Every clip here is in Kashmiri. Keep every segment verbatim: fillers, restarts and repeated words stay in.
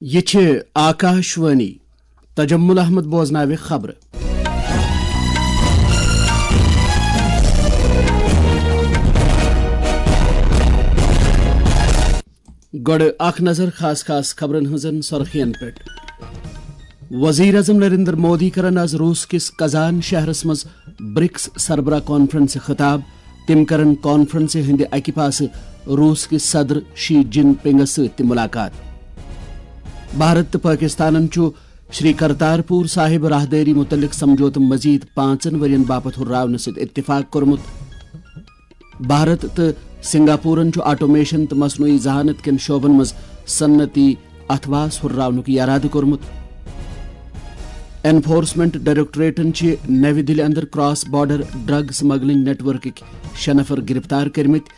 یہِ چھِ آکاشوانی۔ تجمل احمد بوزناوِ خبرٕ۔ گۄڈٕ اکھ نظر خاص خاص خبرن ہٕنٛزن سرخین پٮ۪ٹھ۔ وزیر اعظم نریندر مودی کرن آز روس کِس کزان شہرس منٛز برکس سربراہ کانفرنسہِ خطاب۔ تِم کرن کانفرنسہِ ہٕنٛدِ اکہِ پاسہٕ روس کِس صدر شی جن پنگس سۭتۍ تہِ ملاقات۔ بھارت تہٕ پٲکِستانن چھُ شری کرتارپور صاحب راہدٲری مُتعلق سمجھوتہٕ مزید پانٛژن ؤرین باپتھ ہُرراونہٕ سۭتۍ اتفاق کوٚرمُت۔ بھارت تہٕ سنگاپورن چھُ آٹومیشن تہٕ مصنوعی ذہانت کٮ۪ن شعبن منٛز صنعتی اتھواس ہُرراونُک ارادٕ کوٚرمُت۔ انفورسمنٹ ڈائریکٹوریٹن چھِ نَوِ دِلہِ اندر کراس بارڈر ڈرگ سمگلنگ نیٹ ورکٕکۍ شےٚ نفر گرفتار کٔرمٕتۍ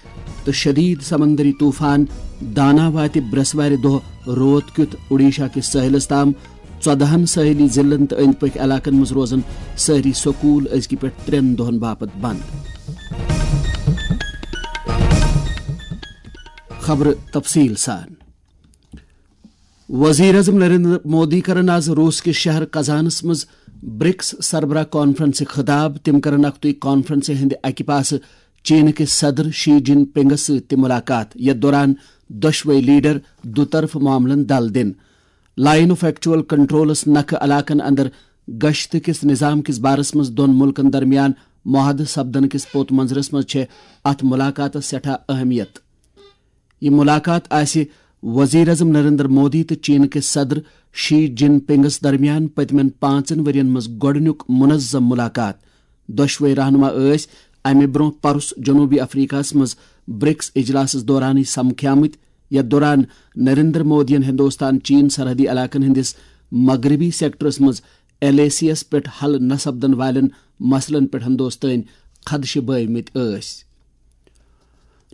تہٕ شدید سمندری طوفان دانا واتہِ برٛٮ۪سوارِ دۄہ روت کیُتھ اوڈیشہ کِس سٲحلس تام۔ ژۄدہن سٲحلی ضلعن تہٕ أنٛدۍ پٔکھۍ علاقن منٛز روزن سٲری سکوٗل أزکہِ پٮ۪ٹھ ترٛٮ۪ن دۄہن باپتھ بنٛد۔ خبرٕ تفصیٖل سان۔ وزیر اعظم نریندر مودی کرن آز روس کِس شہر کزانس منٛز برکس سربراہ کانفرنسہِ خطاب۔ تِم کرن اکھتُے کانفرنسہِ ہٕنٛدِ اکہِ پاسہٕ چین کِس صدر شی جن پنگس سۭتۍ تہِ ملاقات، یتھ دوران دۄشوے لیڈر دُطرفہٕ معاملن دل دِن۔ لائن آف ایکچوئل کنٹرولس نکھٕ علاقن اندر گشت کِس نظام کِس بارس منٛز دۄن ملکن درمیان معاہدٕ سپدن کِس پوت منظرس منٛز چھےٚ اتھ ملاقاتس سٮ۪ٹھاہ اہمیت۔ یہِ ملاقات آسہِ وزیر اعظم نریندر مودی تہٕ چین کِس صدر شی جن پنگس درمیان پٔتمٮ۪ن پانٛژن ؤرین منٛز گۄڈٕنیُک منظم ملاقات۔ دۄشوے رہنما ٲسۍ امہِ برونٛہہ پرُس جنوبی افریقہس منٛز برکس اجلاسس دورانٕے سمکھیمٕتۍ، یتھ دوران نریندر مودیَن ہندوستان چین سرحدی علاقن ہٕنٛدِس مغربی سیکٹرس منٛز ایل اے سی یَس پٮ۪ٹھ حل نہ سپدن والٮ۪ن مسلن پٮ۪ٹھ ہندوستٲنۍ خدشہٕ بٲومٕتۍ ٲسۍ۔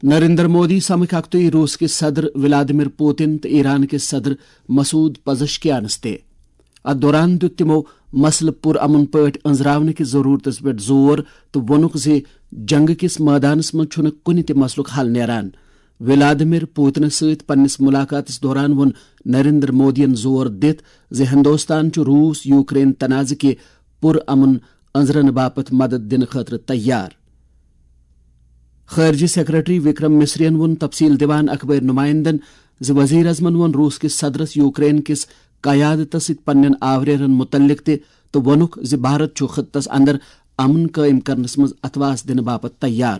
نریندر مودی سمکھ اکھتُے روس کِس صدر ولادیمیر پوتن تہٕ ایران کِس صدر مسعود پزشکیانس تہِ۔ اتھ دوران دیُت تِمو مسلہٕ پُرامن پٲٹھۍ أنٛزراونہٕ کِس ضروٗرتس پٮ۪ٹھ زور تہٕ ووٚنُکھ زِ جنگہٕ کِس مٲدانس منٛز چھُنہٕ کُنہِ تہِ مسلُک حل نیران۔ ولادیمیر پوتنس سۭتۍ پننِس ملاقاتس دوران ووٚن نریندر مودیَن زور دِتھ زِ ہندوستان چھُ روس یوکرین تنازٕ کہِ پُرامن أنٛزرن باپتھ مدد دِنہٕ خٲطرٕ تیار۔ خارجہ سیکرٹری وکرم مصریَن ووٚن تفصیل دِوان اخبٲری نمائندن زِ وزیر اعظمن ووٚن روس کِس صدرس یوکرین کِس قیادتس سۭتۍ پننٮ۪ن آوریرن متعلق تہِ تہٕ ووٚنُکھ زِ بھارت چھُ خطس اندر امن قٲئم کرنس منٛز اتھواس دِنہٕ باپتھ تیار۔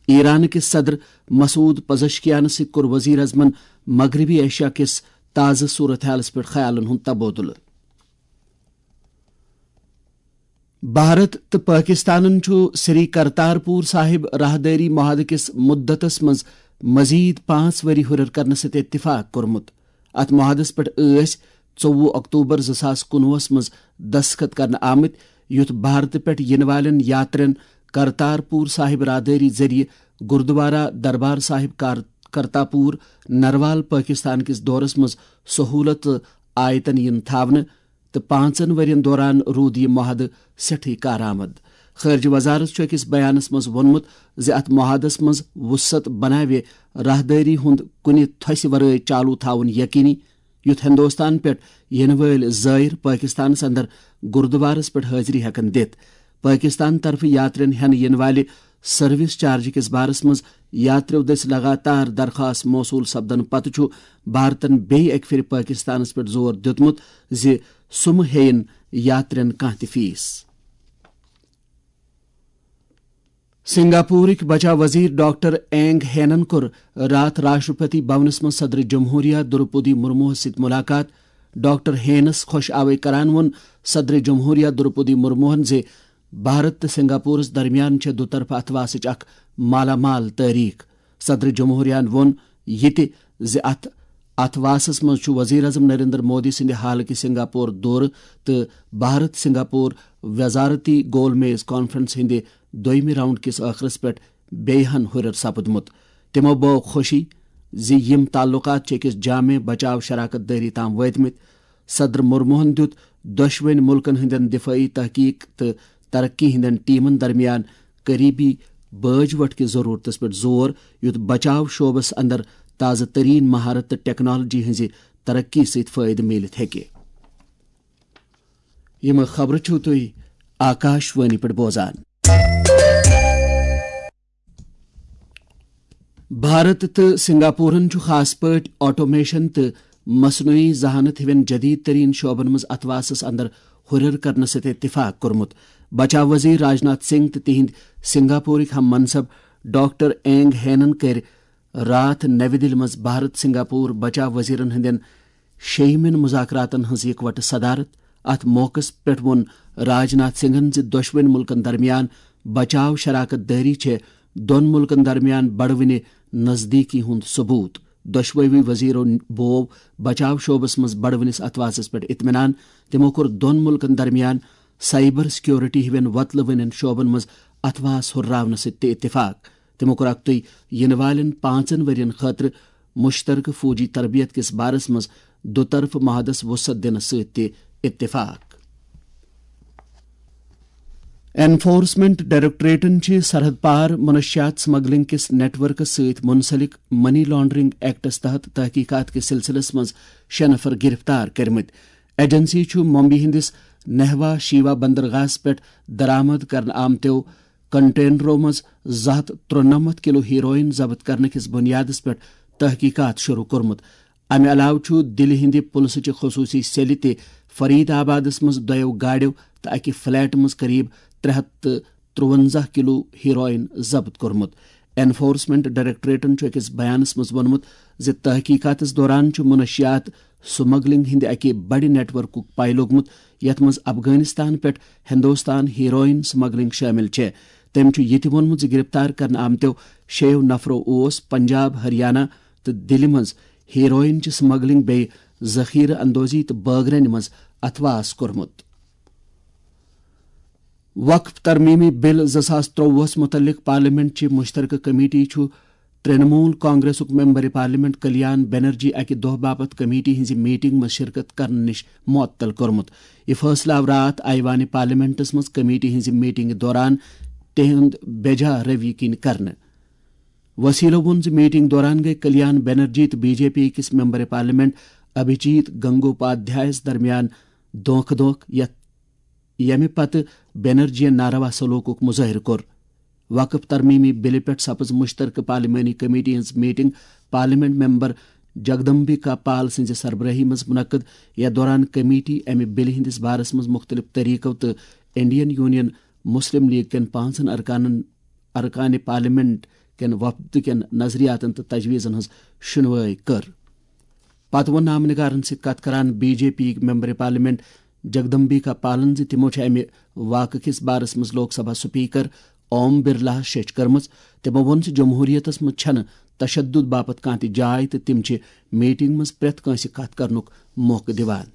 ایران کِس صدر مسعود پزشکیانس سۭتۍ کوٚر وزیر اعظمن مغربی ایشیا کِس تازٕ صورتحالس پٮ۪ٹھ خیالن ہُنٛد تبادلہٕ۔ بھارت تہٕ پٲکِستانن چھُ سری کرتارپور صاحب راہدٲری معاہدٕ کِس مُدتس منٛز مزید پانٛژھ ؤری ہُرٮ۪ر کرنہٕ سۭتۍ اتفاق کوٚرمُت۔ اتھ معاہدس پٮ۪ٹھ ٲسۍ ژوٚوُہ اکتوبر زٕ ساس کُنوُہس منٛز دستخط کرنہٕ آمٕتۍ، یُتھ بھارتہٕ پٮ۪ٹھ یِنہٕ والٮ۪ن یاترین کرتارپور صاحب راہدٲری ذٔریعہٕ گردوارہ دربار صاحب کار-، کرتاپور نروال پٲکِستان کِس دورس منٛز سہوٗلت تہٕ آیتن یِن تھاونہٕ۔ تہٕ پانٛژن ؤرین دوران روٗد یہِ معاہدٕ سٮ۪ٹھٕے کارآمد۔ خارجہ وزارت چھُ أکِس بیانس منٛز ووٚنمُت زِ اتھ معاہدس منٛز وسعت بناوِ راہدٲری ہُنٛد کُنہِ تھوسہِ ورٲے چالو تھاوُن یقینی، یُتھ ہندوستان پٮ۪ٹھ یِنہٕ وٲلۍ زائر پٲکِستانس اندر گردوارس پٮ۪ٹھ حٲضری ہٮ۪کن دِتھ۔ پٲکِستان طرفہٕ یاترین ہٮ۪نہٕ یِنہٕ والہِ سروس چارج کِس بارس منٛز یاتریو دٔسۍ لگاتار درخواست موصول سپدنہٕ پتہٕ چھُ بھارتن بیٚیہِ اکہِ پھِرِ پٲکِستانس پٮ۪ٹھ زور دیُتمُت زِ سُہ مہٕ ہیٚیِن یاترین کانٛہہ تہِ فیس۔ سنگاپورٕکۍ بچاو وزیر ڈاکٹر اینگ ہینن کوٚر راتھ راشٹرپتی بھونس منٛز صدر جمہوریہ دروپدی مرموہس سۭتۍ ملاقات۔ ڈاکٹر ہینس خۄش آوے کران ووٚن صدر جمہوریہ دروپدی مرموہن زِ بھارت تہٕ سنگاپورس درمیان چھےٚ دُطرفہٕ اتھواسٕچ اکھ مالا مال تٲریخ۔ صدر جمہوریہن ووٚن یہِ تہِ زِ اتھ اتھواسس منٛز چھُ وزیر اعظم نریندر مودی سٕنٛدِ حالٕکہِ سنگاپور دورٕ تہٕ بھارت سنگاپور وزارتی گول میز کانفرنس ہٕنٛدِ دوٚیمہِ راؤنڈ کِس ٲخرس پٮ۪ٹھ بیٚیہِ ہن ہُرٮ۪ر سپُدمُت۔ تِمو بٲو خوشی زِ یِم تعلقات چھِ أکِس جامع بچاو شراکت دٲری تام وٲتمٕتۍ۔ صدر مرموہن دیُت دۄشوٕنۍ مُلکن ہٕنٛدٮ۪ن دفٲعی تحقیق تہٕ ترقی ہٕنٛدٮ۪ن ٹیمن درمیان قریبی بٲج وٹھ کِس ضرورتس پٮ۪ٹھ زور، یُتھ بچاو شعبس اندر تازٕ ترین مہارت تہٕ ٹیکنالوجی ہٕنٛزِ ترقی سۭتۍ فٲیدٕ میٖلِتھ ہیٚکہِ۔ یِم خبرٕ چھِو تُہۍ آکاش وانی پٮ۪ٹھ بوزان۔ بھارت تہٕ سنگاپورن چھُ خاص پٲٹھۍ آٹومیشن تہٕ مصنوعی ذہانت ہِوٮ۪ن جدید ترین شعبن منٛز اتھواسس اندر ہُرٮ۪ر کرنہٕ سۭتۍ اتفاق کوٚرمُت۔ بچاو وزیر راجناتھ سنگھ تہٕ تِہنٛدۍ سنگاپورٕکۍ ہم منصب ڈاکٹر اینگ ہینن کٔرۍ راتھ نَوِ دِلہِ منٛز بھارت سنگاپور بچاو وزیرن ہٕنٛدٮ۪ن شیٚیِمٮ۪ن مذاکراتن ہٕنٛز یکوٹہٕ صدارت۔ اتھ موقعس پٮ۪ٹھ ووٚن راجناتھ سنگھن زِ دۄشوٕنۍ ملکن درمیان بچاو شراکت دٲری چھےٚ دۄن ملکن درمیان بڑوٕنہِ نزدیکی ہُنٛد ثبوت۔ دۄشوٕے وزیرو بوو بچاو شعبس منٛز بڑوٕنِس اتھواسس پٮ۪ٹھ اطمینان۔ تِمو کوٚر دۄن ملکن درمیان سائبر سیکیورٹی ہِوٮ۪ن وۄتلہٕ وٕنٮ۪ن شعبن منٛز اتھواس ہُرراونس سۭتۍ تہِ اتفاق۔ تِمو کوٚر اکتُے یِنہٕ والٮ۪ن پانٛژن ؤرین خٲطرٕ مشترکہٕ فوجی تربیت کِس بارس منٛز دُطرفہٕ معاہدس وسعت دِنس سۭتۍ تہِ اتفاق۔ انفورسمنٹ ڈائریکٹوریٹن چھِ سرحد پار منشیات سمگلنگ کِس نیٹ ورکس سۭتۍ منسلک منی لانڈرنگ ایکٹس تحت تحقیقات کِس سلسلس منٛز شےٚ نفر گرفتار کٔرمٕتۍ۔ ایجنسی چھُ ممبئی ہٕنٛدِس نہوا شیوا بندرگاہس پٮ۪ٹھ درآمد کرنہٕ آمتیو کنٹینرو منٛز زٕ ہتھ ترُنَمتھ کلو ہیروئن ضبط کرنہٕ کِس بنیادس پٮ۪ٹھ تحقیقات شروع کوٚرمُت۔ امہِ علاوٕ چھُ دِلہِ ہٕنٛدِ پُلسہٕ چہِ خصوٗصی سیلہِ تہِ فرید آبادس منٛز دۄیو گاڑیو تہٕ اکہِ فلیٹ منٛز قریب ترٛےٚ ہتھ تہٕ ترٛوَنزاہ کلو ہیروئن ضبط کوٚرمُت۔ انفورسمنٹ ڈائریکٹوریٹن چھُ أکِس بیانس منٛز ووٚنمُت زِ تحقیقاتس دوران چھُ منشیات سمگلنگ ہٕنٛدِ اکہِ بڑِ نیٹ ورکُک پاے لوٚگمُت، یتھ منٛز افغانستان پٮ۪ٹھ ہندوستان ہیروئن سمگلنگ شٲمِل چھےٚ۔ تٔمۍ چھُ یہِ تہِ ووٚنمُت زِ گرفتار کرنہٕ آمتیو شیٚیو نفرو اوس پنجاب، ہریانہ تہٕ دِلہِ منٛز ہیروئن چہِ سمگلنگ بیٚیہِ ذخیرٕ اندوزی تہٕ بٲگرنہِ منٛز اتھواس کوٚرمُت۔ وقف ترمیمی بل زٕ ساس ترٛۆوُہس متعلق پارلیمنٹ چہِ مشترکہ کمیٹی چھُ ترنمول کانگریسُک ممبر پارلیمنٹ کلیان بنرجی اکہِ دۄہ باپتھ کمیٹی ہٕنٛزِ میٹنگ منٛز شرکت کرنہٕ نِش معطل کوٚرمُت۔ یہِ فٲصلہٕ آو راتھ ایوان پارلیمنٹس منٛز کمیٹی ہٕنٛزِ میٹنگہِ دوران تِہنٛد بے جا روی کِنۍ کرنہٕ۔ وسیلو ووٚن زِ میٹنگ دوران گٔے کلیان بنرجی تہٕ بی جے پی کِس ممبر پارلیمنٹ ابھیجیت گنگوپادھیایس درمیان دھوکہ دھوکہ، یتھ ییٚمہِ پتہٕ بنرجیَن ناروا سلوکُک مظٲہرٕ کوٚر۔ وقف ترمیمی بلہِ پٮ۪ٹھ سپٕز مشترکہ پارلیمانی کمیٹی ہٕنٛز میٹنگ پارلیمنٹ ممبر جگدمبکا پال سٕنٛزِ سربرٲہی منٛز منعقد، یتھ دوران کمیٹی امہِ بلہِ ہٕنٛدِس بارس منٛز مختلف طریقو تہٕ انڈین یونین مسلم لیگ کٮ۪ن پانٛژن ارکانن، ارکانِ پارلیمنٹ کٮ۪ن وفد کٮ۪ن نظریاتن تہٕ تجویزن ہٕنٛز شنوٲے کٔر۔ پتہٕ ووٚن نامہ نگارن سۭتۍ کتھ کران B J P member parliament Jagdambika پالن زِ تِمو چھِ امہِ واقعہٕ کِس بارس منٛز لوک سبھا سپیکر اوم برلاہس شیٚچھ کٔرمٕژ۔ تِمو ووٚن زِ جمہوریتس منٛز چھنہٕ تشدد باپتھ کانٛہہ تہِ جاے تہٕ تِم چھِ میٹنگ منٛز پرٛٮ۪تھ کٲنٛسہِ کتھ کرنُک موقعہٕ دِوان۔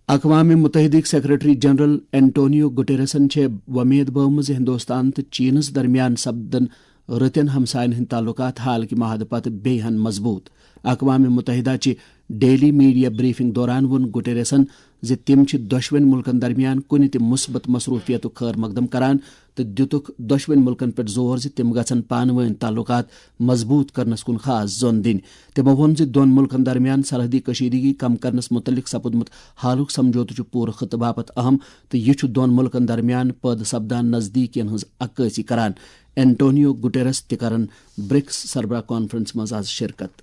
اقوام متحدٕکۍ سیکرٹری جنرل اینٹونیو گٹیرسن چھےٚ وۄمید بٲومٕژ زِ ہندوستان تہٕ چینس درمیان سپدن رٕتٮ۪ن ہمساین ہٕنٛدۍ تعلقات حال کہِ معاہدٕ پتہٕ بیٚیہِ ہن مضبوط۔ اقوام متحدہ چہِ ڈیلی میڈیا بریفنگ دوران ووٚن گٹیرسن زِ تِم چھِ دۄشوٕنۍ ملکن درمیان کُنہِ تہِ مثبت مصروفیتُک خٲر مقدم کران تہٕ دِتُکھ دۄشوٕنۍ ملکن پٮ۪ٹھ زور زِ تِم گژھن پانہٕ وٲنۍ تعلقات مضبوط کرنس کُن خاص زون دِنۍ۔ تِمو ووٚن زِ دۄن ملکن درمیان سرحدی کشیدگی کم کرنس متعلق سپُدمُت حالُک سمجھوتہٕ چھُ پوٗرٕ خطہٕ باپتھ اہم تہٕ یہِ چھُ دۄن ملکن درمیان پٲدٕ سپدان نزدیکین ہٕنٛز عکٲسی کران۔ اینٹونیو گٹیرس تہِ کرن برکس سربراہ کانفرنس منٛز از شرکت۔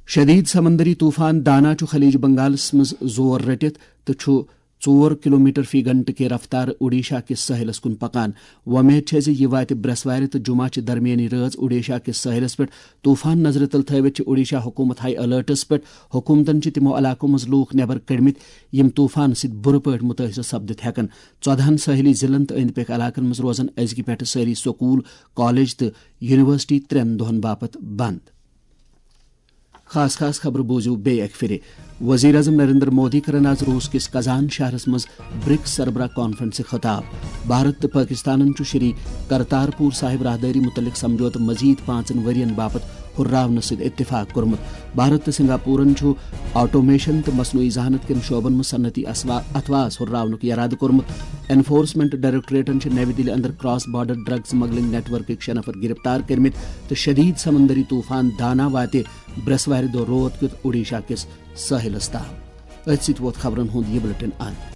شدید سمندری طوفان دانا چھُ خلیج بنگالس منٛز زور رٔٹِتھ تہٕ چھُ ژور کلومیٹر فی گھنٹہٕ کہِ رفتارٕ اوڈیشہ کِس ساحلس کُن پکان۔ وۄمید چھےٚ زِ یہِ واتہِ برٛٮ۪سوارِ تہٕ جمعہ چہِ درمیٲنی رٲژ اوڈیشہ کِس ساحلس پٮ۪ٹھ۔ طوفان نظرِ تل تھٲوِتھ چھِ اوڈیشہ حکوٗمت ہائی الرٹس پٮ۪ٹھ۔ حکوٗمتن چھِ تِمو علاقو منٛز لوٗکھ نٮ۪بر کٔڑمٕتۍ، یِم طوفان سۭتۍ بُرٕ پٲٹھۍ مُتٲثر سپدِتھ ہٮ۪کن۔ ژۄدہن ساحلی ضلعن تہٕ أنٛدۍ پٔکۍ علاقن منٛز روزن أزکہِ پٮ۪ٹھٕ سٲری سکوٗل، کالج تہٕ یونیورسٹی ترٛٮ۪ن دۄہن باپتھ بنٛد۔ خاص خاص خبرٕ بوٗزِو بیٚیہِ اَکہِ پھِرِ۔ وزیر اعظم نریندر مودی کرن آز روٗس کِس کزان شہرس منٛز برکس سربراہ کانفرنسہِ خطاب۔ بھارت تہٕ پٲکستانن چھُ شری کرتارپور صاحب راہدٲری مُتعلق سمجھوتہٕ مزید پانٛژن ؤرین باپتھ ہُرراونہٕ سۭتۍ اتفاق کوٚرمُت۔ بھارت تہٕ سنگاپورن چھُ آٹومیشن تہٕ مصنوعی ذہانت کٮ۪ن شعبن منٛز صنعتی اسوا-، اتھواس ہُرراونُک یرادٕ کوٚرمُت۔ انفورسمنٹ ڈائریکٹوریٹن چھِ نَوِ دِلہِ اندر کراس بارڈر ڈرگ سمگلنگ نیٹ ورکٕکۍ شےٚ نفر گرفتار کٔرمٕتۍ تہٕ شدید سمندری طوفان دانا واتہِ برٛٮ۪سوارِ دۄہ رٲژ کیُتھ اوڈیشہ کِس سٲحِلس تام۔ أتھۍ سۭتۍ ووت خبرن ہُنٛد یہِ بلیٹن اند۔